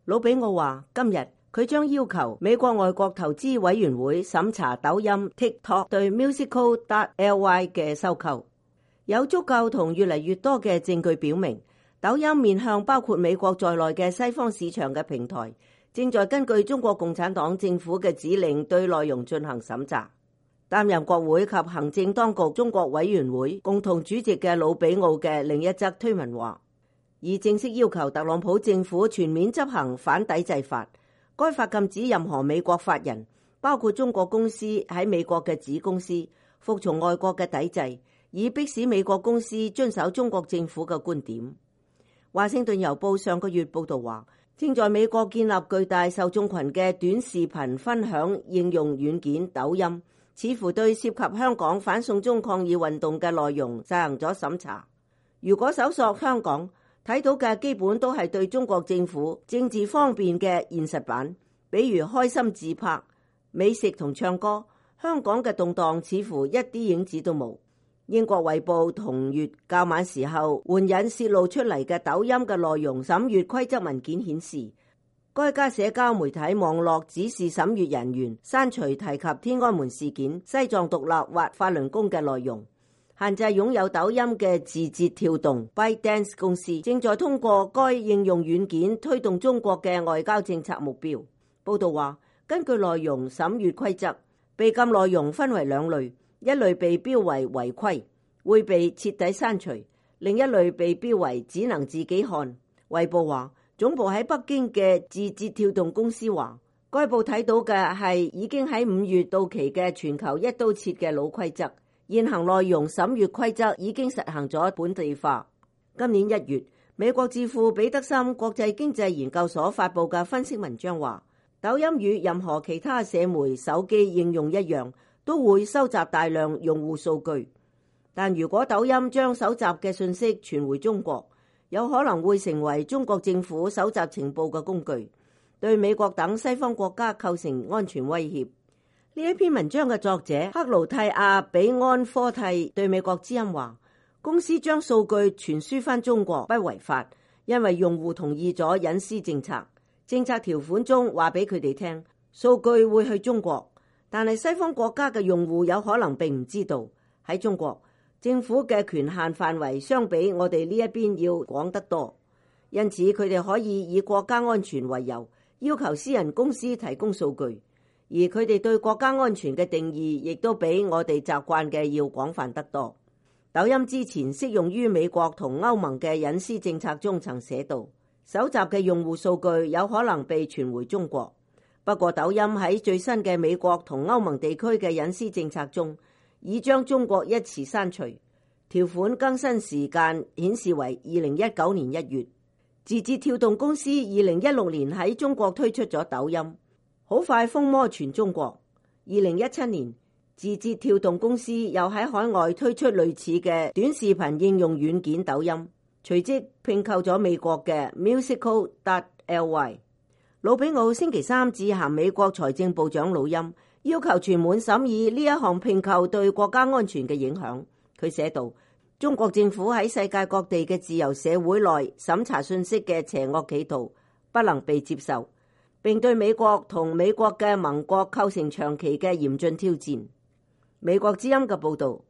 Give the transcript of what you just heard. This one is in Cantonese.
魯比奧話，今日佢將要求美國外國投資委員會審查抖音 TikTok 對 Musical.ly 嘅收購。有足夠同越嚟越多嘅證據表明，抖音面向包括美國在內嘅西方市場嘅平台，正在根據中國共產黨政府嘅指令對內容進行審查。擔任國會及行政當局中國委員會共同主席嘅魯比奧嘅另一則推文話，已正式要求特朗普政府全面執行反抵制法，該法禁止任何美國法人，包括中國公司喺美國嘅子公司，服從外國嘅抵制，以迫使美國公司遵守中國政府嘅觀點。華盛頓郵報上個月報道話，正在美國建立巨大受眾群嘅短視頻分享應用軟件抖音，似乎對涉及香港反送中抗議運動嘅內容實行咗審查。如果搜索香港，睇到嘅基本都係對中國政府政治方面嘅現實版，比如開心自拍、美食同唱歌。香港嘅動盪似乎一啲影子都冇。英國衛報同月較晚時候援引泄露出嚟嘅抖音嘅內容審閱規則文件顯示，該家社交媒體網絡指示審閱人員刪除提及天安門事件、西藏獨立或法輪功嘅內容。限制擁有抖音嘅字節跳動 ByteDance 公司正在通過該應用軟件推動中國嘅外交政策目標。報道話，根據內容審閱規則，被禁內容分為兩類，一類被標為違規，會被徹底刪除；另一類被標為只能自己看。衛報話，總部喺北京嘅字節跳動公司話，該部睇到嘅係已經喺5月到期嘅全球一刀切嘅老規則。現行內容審閱規則已經實行咗本地化。今年1月，美國智庫彼得森國際經濟研究所發布嘅分析文章話，抖音與任何其他社媒手機應用一樣，都會收集大量用戶數據。但如果抖音將搜集嘅信息傳回中國，有可能會成為中國政府搜集情報嘅工具，對美國等西方國家構成安全威脅。呢一篇文章嘅作者克勞蒂亞比安科蒂對美國之音話，公司將數據傳輸返中國不違法，因為用戶同意咗隱私政策。政策條款中話俾佢哋聽，數據會去中國，但係西方國家嘅用戶有可能並唔知道。喺中國，政府嘅權限範圍相比我哋呢一邊要廣得多，因此佢哋可以以國家安全為由，要求私人公司提供數據。而佢哋對國家安全嘅定義亦都比我哋習慣嘅要廣泛得多。抖音之前適用於美國同歐盟嘅隱私政策中曾寫到，搜集嘅用戶數據有可能被傳回中國。不過抖音喺最新嘅美國同歐盟地區嘅隱私政策中，已將中國一詞刪除。條款更新時間顯示為2019年1月。字節跳動公司2016年喺中國推出咗抖音，好快風靡全中國。2017年，字節跳動公司又喺海外推出類似嘅短視頻應用軟件抖音，隨即併購咗美國嘅 Musical.ly。魯比奧星期三致函美國財政部長魯欽，要求全面審議呢一項併購對國家安全嘅影響。佢寫道，中國政府喺世界各地嘅自由社會內審查信息嘅邪惡企圖不能被接受，並對美國同美國嘅盟國構成長期嘅嚴峻挑戰。美國之音嘅報導。